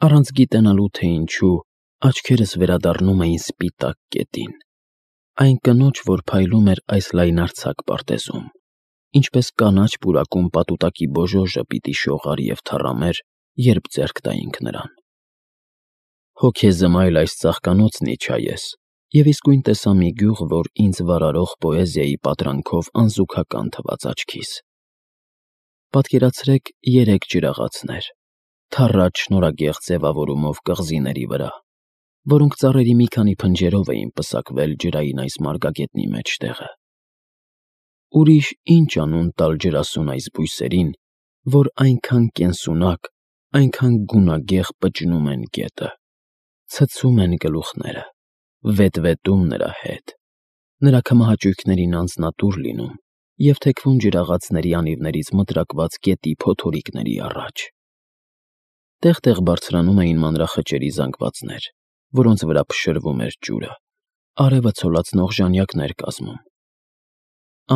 Առանց գիտենալու, թե ինչու, աչքերս վերադառնում էին սպիտակ կետին, այն կնոջ, որ փայլում էր այս լայնարձակ պարտեզում, ինչպես կանաչ պուրակում պատուտակի բոժոժը պիտի շողար և թառամեր, երբ ձեռք տայինք նրան։ Հոգեզմայլ այս ծաղկանոցն իջա ես, և իսկույն տեսա մի գյուղ, որ ինձ վարարող պոեզիայի պատրանքով անզուգական թվաց աչքիս։ Պատկերացրեք 3 ջրաղացներ, թառած շնորհագեղ ձևավորումով կղզիների վրա, որոնք ծառերի մի քանի փնջերով էին պսակվել ջրային այս մարգագետնի մեջտեղը։ Ուրիշ ինչ անուն տալ ջրասուն այս բույսերին, որ այնքան կենսունակ, այնքան գունագեղ պճնում են գետը, ցցում են գլուխները, վետվետում նրա հետ, նրա քմահաճույքներին անձնատուր լինում և թեքվում ջրաղացների անիվներից մտրակված գետի փոթորիկների առաջ։ Տեղ-տեղ բարձրանում էին մանրախճերի զանգվածներ, որոնց վրա փշրվում էր ջուրը, արևը ցոլացնող ժանյակներ կազմում։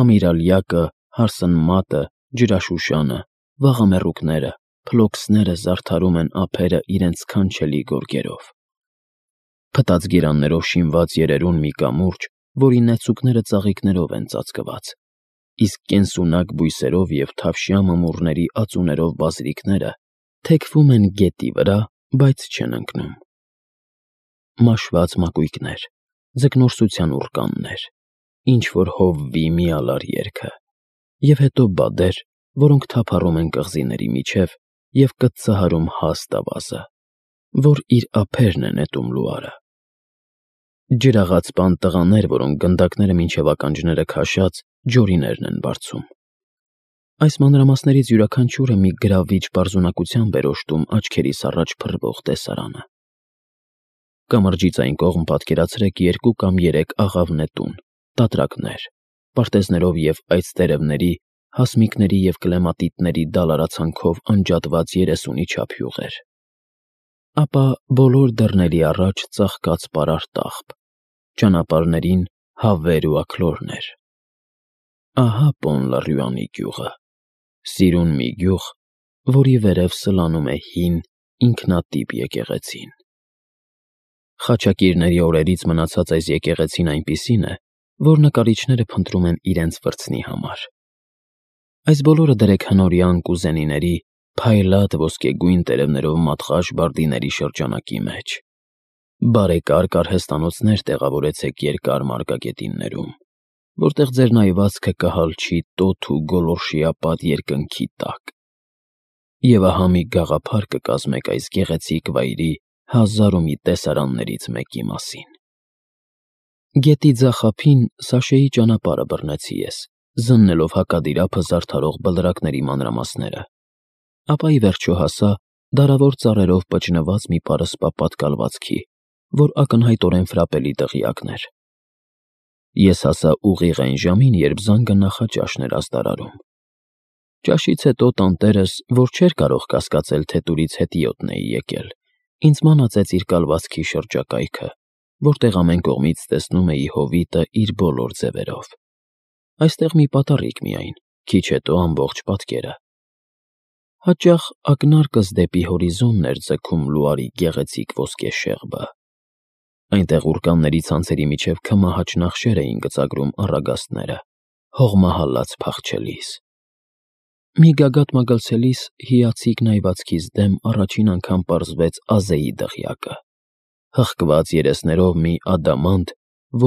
Ամիրալյակը, հարսնմատը, ջրաշուշանը, վաղամեռուկները, փլոքսները զարդարում են ափերը իրենց սքանչելի գորգերով։ Փտած գերաններով շինված երերուն մի կամուրջ, որի նեցուկները ծաղիկներով են ծածկված, իսկ կենսունակ բույսերով և թավշյա մմուռների ածուներով բազրիքները թեքվում են գետի վրա, բայց չեն ընկնում։ Մաշված մակույկներ, ձկնորսության ուռկաններ, ինչ-որ հովվի միալար երգը, և հետո բադեր, որոնք թափառում են կղզիների միջև և կծծահարում հաստ ավազը, որ իր ափերն է նետում լուարը։ Ջրաղացպան տղաներ, որոնք գնդակները մինչև ականջները քաշած ջորիներն են բարձում։ Այս մանրամասներից յուրաքանչյուրը մի գրավիչ պարզունակությամբ էր օժտում աչքերիս առաջ փռվող տեսարանը։ Կամրջից այն կողմ պատկերացրեք 2 կամ 3 աղավնետուն, տատրակներ, պարտեզներով և այծտերևների, հասմիկների և կլեմատիտների դալարացանքով անջատված 30-ի չափ յուղեր։ Ապա բոլոր դռների առաջ ծաղկած պարարտ աղբ, ճանապարհներին հավեր ու աքլորներ։ Ահա Պոն-լա-Ռյուանի գյուղը, սիրուն մի գյուղ, որի վերև սլանում է հին, ինքնատիպ եկեղեցին։ Խաչակիրների օրերից մնացած այս եկեղեցին այնպիսին է, որ նկարիչները փնտրում են իրենց վրձնի համար։ Այս բոլորը դրեք հնորյա ընկուզենիների, փայլատ ոսկեգույն տերևներով մատղաշ բարդիների շրջանակի մեջ։ Բարեկարգ արհեստանոցներ տեղավորեցեք երկար մարգագետիններում, որտեղ ձեր նայվածքը կհալչի տոթ ու գոլորշիապատ երկնքի տակ։ Եվ ահա մի գաղափար կկազմեք այս գեղեցիկ վայրի հազար ու մի տեսարաններից մեկի մասին։ Գետի ձախ ափին Սաշեի ճանապարհը բռնեցի ես, զննելով հակադիր ափը զարդարող բլրակների մանրամասները, ապա ի վերջո հասա դարավոր ծառերով պճնված մի պարսպա պատկալվածքի, որ ակնհայտորեն ֆրապելի դղյակն էր։ Ես հասա ուղիղ այն ժամին, երբ զանգը նախաճաշն էր աստարարում։ Ճաշից հետո տանտերս, որ չէր կարող կասկածել, թե տուրից հետիոտն էի եկել, ինձ մանածեց իր կալվածքի շրջակայքը, որտեղ ամեն կողմից տեսնում էի հովիտը իր բոլոր ձևերով։ Այստեղ մի պատառիկ միայն, քիչ հետո ամբողջ պատկերը։ Հաճախ ակնարկս դեպի հորիզոնն էր ձգում լուարի գեղեցիկ ոսկե շեղբը։ Այնտեղ ուռկանների ցանցերի միջև քմահաճ նախշեր էին գծագրում առագաստները, հողմահալած փախչելիս։ Մի գագաթ մագլցելիս հիացիկ նայվածքիս դեմ առաջին անգամ պարզվեց Ազեի դղյակը, հղկված երեսներով մի ադամանդ,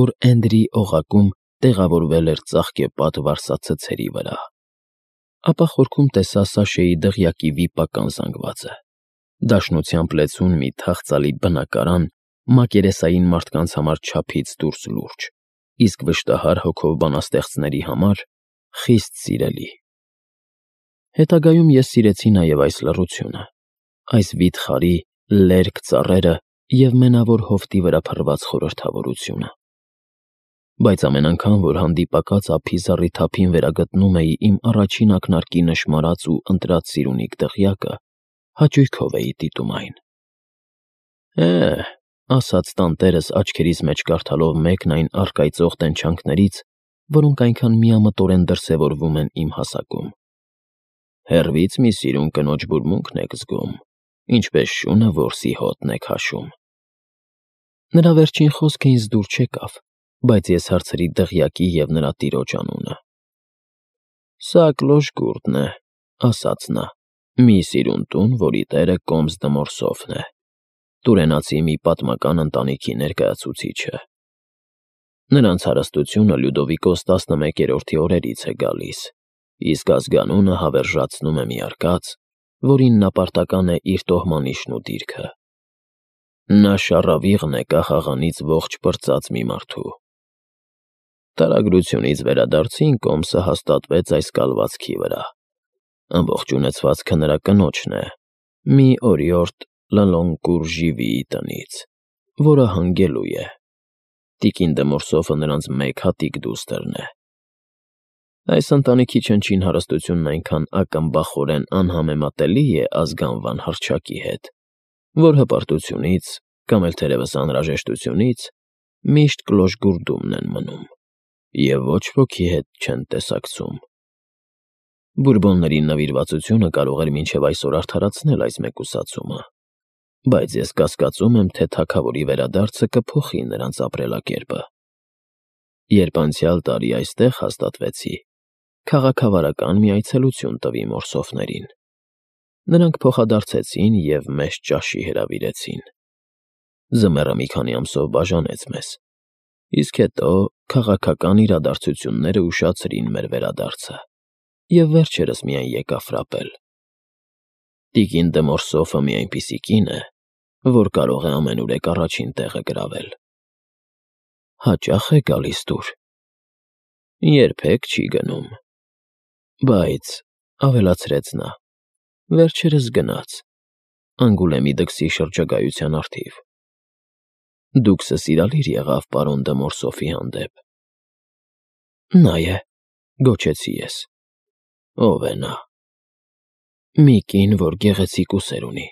որ Էնդրի օղակում տեղավորվել էր ծաղկեպատ վարսացցերի վրա։ Ապա խորքում տեսա Սաշեի դղյակի վիպական զանգվածը, դաշնությամբ լեցուն մի թախծալի բնակարան, մակերեսային մարդկանց համար չափից դուրս լուրջ, իսկ վշտահար հոգով բանաստեղծների համար խիստ սիրելի։ Հետագայում ես սիրեցի նաև այս լռությունը, այս վիթխարի, լերկ ծառերը և մենավոր հովտի վրա փռված խորհրդավորությունը։ Բայց ամեն անգամ, որ հանդիպակաց ափի զառիթափին վերագտնում էի իմ առաջին ակնարկի նշմարած ու ընտրած սիրունիկ դղյակը, հաճույքով էի դիտում այն։ Ասաց տանտերս աչքերիս մեջ կարդալով մեկն այն առկայծող տենչանքներից, որոնք այնքան միամտորեն դրսևորվում են իմ հասակում։ Հեռվից մի սիրուն կնոջ բուրմունքն եք զգում, ինչպես շունը որսի հոտն է քաշում։ Նրա վերջին խոսքը ինձ դուր չեկավ, բայց ես հարցրի դղյակի և նրա տիրոջ անունը։ «Սա Կլոշգուրդն է», ասաց նա, «մի սիրուն տուն, որի տերը Կոմս Դմորսոֆն է, տուրենացի մի պատմական ընտանիքի ներկայացուցիչը։ Նրանց հարստությունը Լյուդովիկոս 11-րդի օրերից է գալիս, իսկ ազգանունը հավերժացնում է մի արկած, որին նապարտական է իր տոհմանիշն ու դիրքը։ Նա շառավիղն է կախաղանից ողջ պրծած մի մարդու։ Տարագրությունից վերադարձին Կոմսը հաստատվեց այս կալվածքի վրա։ Ամբողջ ունեցվածքը նրա կնոջն է, մի օրիորդ Լալոնկուր-Ժիվիի տնից, որը հանգելու է։ Տիկին Դմորսոֆը նրանց մեկ հատիկ դուստրն է։ Այս ընտանիքի չնչին հարստությունն այնքան ակմբախորեն անհամեմատելի է ազգանվան հռչակի հետ, որ հպարտությունից, կամ էլ թերևս անհրաժեշտությունից, միշտ Կլոշգուրդումն են մնում, և ոչ ոքի հետ չեն տեսակցում։ Բուրբոնների նվիրվածությունը կարող էր մինչև այսօր արդարացնել այս մեկուսացումը, բայց ես կասկածում եմ, թե թագավորի վերադարձը կփոխի նրանց ապրելակերպը։ Երբ անցյալ տարի այստեղ հաստատվեցի, քաղաքավարական մի այցելություն տվի Մորսոֆներին։ Նրանք փոխադարձեցին և մեզ ճաշի հրավիրեցին։ Ձմեռը մի քանի ամսով բաժանեց մեզ, իսկ հետո քաղաքական իրադարձությունները ուշացրին մեր վերադարձը, և վերջերս միայն եկա ֆրապել։ Տիկին Դմորսոֆը մի այնպիսի կին է, որ կարող է ամենուրեք առաջին տեղը գրավել։ Հաճա՞խ է գալիս տուր։ Երբեք չի գնում։ Բայց, ավելացրեց նա, վերջերս գնաց, Անգուլեմի դքսի շրջագայության առթիվ։ Դուքսը սիրալիր եղավ պարոն Դմորսոֆի հանդեպ։ Նա է, գոչեցի ես։ Ով է նա։ Մի կին, որ գեղեցիկ ուսեր ունի։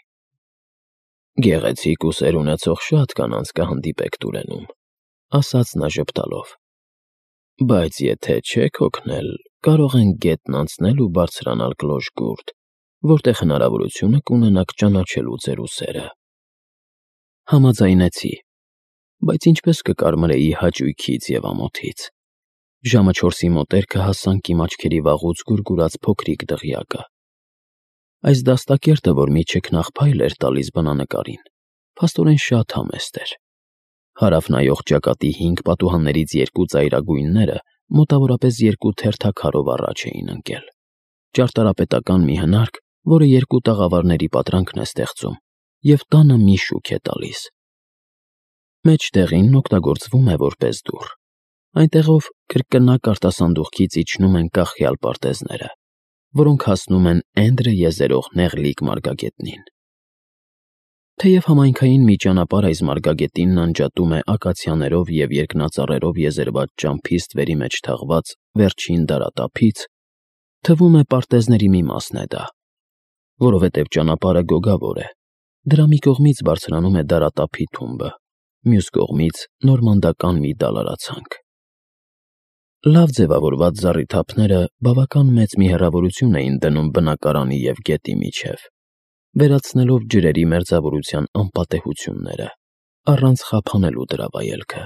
Գեղեցիկ ուսեր ունեցող շատ կանանց կհանդիպեք Տուրենում, ասաց նա ժպտալով։ Բայց եթե չեք հոգնել, կարող ենք գետն անցնել ու բարձրանալ Կլոշգուրդ, որտեղ հնարավորությունը կունենաք ճանաչելու ձեր ուսերը։ Համաձայնեցի, բայց ինչպես կկարմրեի հաճույքից և ամոթից։ Ժամը 4-ի մոտերքը հասանք իմ աչքերի վաղուց գուրգուրած փոքրիկ դղյակը։ Այս դաստակերտը, որ մի չքնաղ էր տալիս բնանկարին, փաստորեն շատ համեստ էր։ Հարավ նայող ճակատի 5 պատուհաններից 2 ծայրագույնները մոտավորապես 2 թերթաքարով առաջ էին ընկել։ Ճարտարապետական մի հնարք, որը 2 տաղավարների պատրանքն է ստեղծում, և տանը մի շուք է տալիս։ Մեջտեղին օգտագործվում է որպես դուռ։ Այնտեղով կրկնակ արտասանդուղքից իջնում են կախյալ պարտեզները, որոնք հասնում են Էնդրը եզերող նեղլիկ մարգագետնին։ Թեև համայնքային մի ճանապարհ այս մարգագետինն անջատում է ակացիաներով և երկնածառերով եզերված ճամփիստ վերի մեջ թաղված վերջին դարատափից, թվում է պարտեզների մի մասն է դա, որովհետև ճանապարհը գոգավոր է, դրա մի կողմից բարձրանում է դարատափի թումբը, մյուս կողմից նորմանդական մի դալարացանք։ Լավ ձևավորված զառիթափները բավական մեծ մի հեռավորություն էին դնում բնակարանի և գետի միջև, վերացնելով ջրերի մերձավորության անպատեհությունները, առանց խափանելու դրա վայելքը։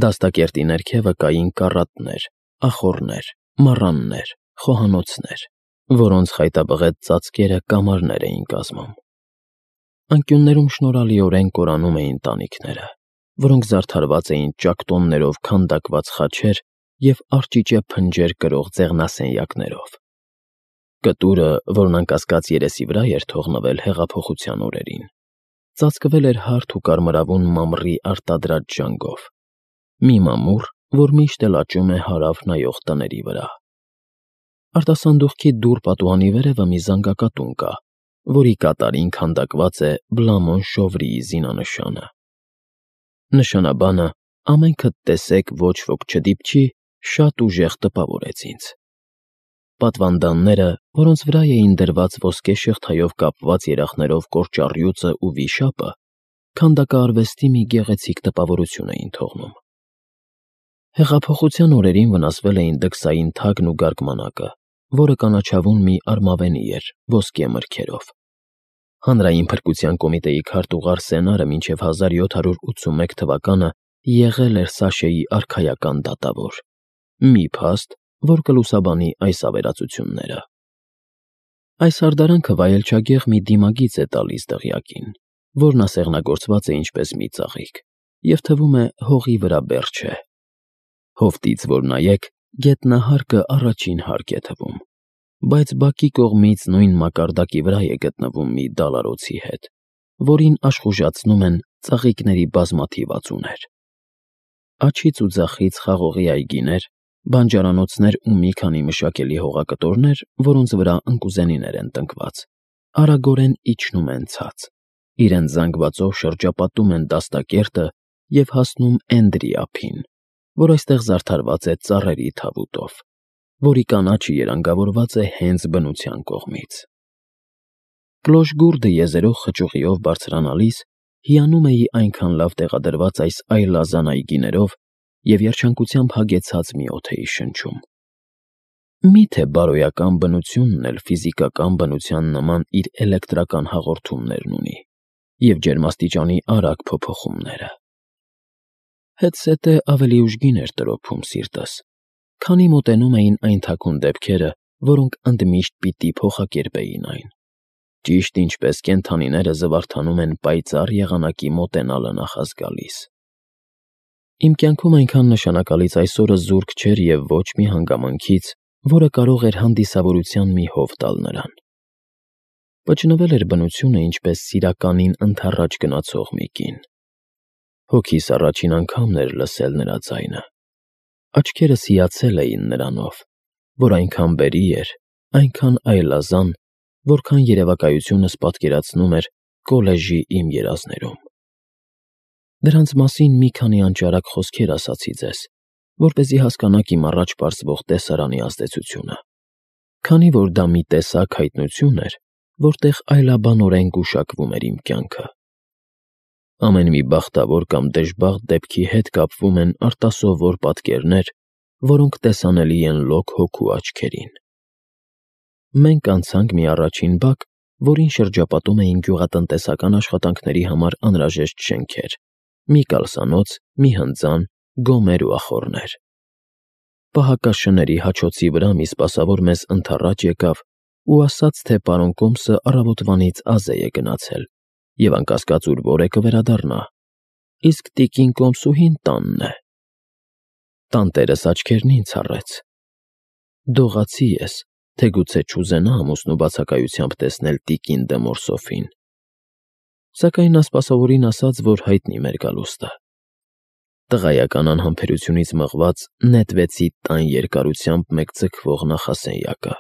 Դաստակերտի ներքևը կային կառատներ, ախոռներ, մառաններ, խոհանոցներ, որոնց խայտաբղետ ծածկերը կամարներ էին կազմում։ Անկյուններում շնորհալիորեն կորանում էին տանիքները, որոնք զարդարված էին ճակտոններով քանդակված խաչեր և արճիճե փնջեր կրող ձեղնասենյակներով։ Կտուրը, որն անկասկած երեսի վրա էր թողնվել հեղափոխության օրերին, ծածկվել էր հարթ ու կարմրավուն մամռի արտադրած ժանգով, մի մամուռ, որ միշտ էլ աճում է հարավ նայող տների վրա։ Արտասանդուղքի դուռ պատուհանի վերևը մի զանգակատուն կա, որի կատարին քանդակված է Բլամոն Շովրիի զինանշանը։ Նշանաբանը «ամենքդ տեսեք, ոչ ոք չդիպչի» շատ ուժեղ տպավորեց ինձ։ Պատվանդանները, որոնց վրա էին դրված ոսկե շղթայով կապված երախներով կորճառյուծը ու վիշապը, քանդակարվեստի մի գեղեցիկ տպավորություն էին թողնում։ Հեղափոխության օրերին վնասվել էին դքսային թագն ու գարգմանակը, որը կանաչավուն մի արմավենի էր ոսկե մրգերով։ Հանրային փրկության կոմիտեի քարտուղար Սենարը մինչև 1781 թվականը եղել էր Սաշեի արքայական դատավոր, մի փաստ, որ կլուսաբանի այս ավերածությունները։ Այս հարդարանքը վայելչագեղ մի դիմագիծ է տալիս դղյակին, որն ասեղնագործված է ինչպես մի ծաղիկ, և թվում է հողի վրա բեռ չէ։ Հովտից որ նայեք, գետնահարկը առաջին հարկ է թվում, բայց բակի կողմից նույն մակարդակի վրա է գտնվում մի դալարոցի հետ, որին աշխուժացնում են ծաղիկների բազմաթիվ ածուներ։ Աջից ու ձախից խաղողի այգիներ, բանջարանոցներ ու մի քանի մշակելի հողակտորներ, որոնց վրա ընկուզենիներ են տնկված, արագորեն իջնում են ցած, իրենց զանգվածով շրջապատում են դաստակերտը և հասնում Էնդրի ափին, որ այստեղ զարդարված է ծառերի թավուտով, որի կանաչը երանգավորված է հենց բնության կողմից։ Կլոշգուրդը եզերող խճուղիով բարձրանալիս հիանում էի այնքան լավ տեղադրված այս այլազան այգիներով և երջանկությամբ հագեցած մի օդ էի շնչում։ Մի՞թե բարոյական բնությունն էլ ֆիզիկական բնության նման իր էլեկտրական հաղորդումներն ունի և ջերմաստիճանի արագ փոփոխումները։ Հետզհետե ավելի ուժգին էր տրոփում սիրտս, քանի մոտենում էին այն թաքուն դեպքերը, որոնք ընդմիշտ պիտի փոխակերպեին այն, ճիշտ ինչպես կենդանիները զվարթանում են պայծառ եղանակի մոտենալը նախազգալիս։ Իմ կյանքում այնքան նշանակալից այս օրը զուրկ չէր և ոչ մի հանգամանքից, որը կարող էր հանդիսավորության մի հով տալ նրան։ Պճնվել էր բնությունը ինչպես սիրականին ընդառաջ գնացող մի կին։ Հոգիս առաջին անգամն էր լսել նրա ձայնը։ Աչքերս հիացել էին նրանով, որ այնքան բերի էր, այնքան այլազան, որքան երևակայությունս պատկերացնում էր կոլեժի իմ երազներում։ Դրանց մասին մի քանի անճարակ խոսքեր ասացի ձեզ, որպեսզի հասկանաք իմ առաջ պարզվող տեսարանի ազդեցությունը, քանի որ դա մի տեսակ հայտնություն էր, որտեղ այլաբանորեն գուշակվում էր իմ կյանքը։ Ամեն մի բախտավոր կամ դժբախտ դեպքի հետ կապվում են արտասովոր պատկերներ, որոնք տեսանելի են լոկ հոգու աչքերին։ Մենք անցանք մի առաջին բակ, որին շրջապատում էին գյուղատնտեսական աշխատանքների համար անհրաժեշտ շենքեր, մի կալսանոց, մի հնձան, գոմեր ու ախոռներ։ Պահակաշների հաչոցի վրա մի սպասավոր մեզ ընդառաջ եկավ ու ասաց, թե պարոն Կոմսը առավոտվանից ազե է գնացել և անկասկած ուր որ է կվերադառնա, իսկ տիկին Կոմսուհին տանն է։ Տանտերս աչքերն ինձ առեց։ Դողացի ես, թե գուցե չուզենա ամուսնու բացակայությամբ տեսնել տիկին դե Մորսոֆին։ Սակայն նա սպասավորին ասաց, որ հայտնի մեր գալուստը։ Տղայական անհամբերությունից մղված նետվեցի տան երկարությամբ մեկ ձգվող նախասենյակը։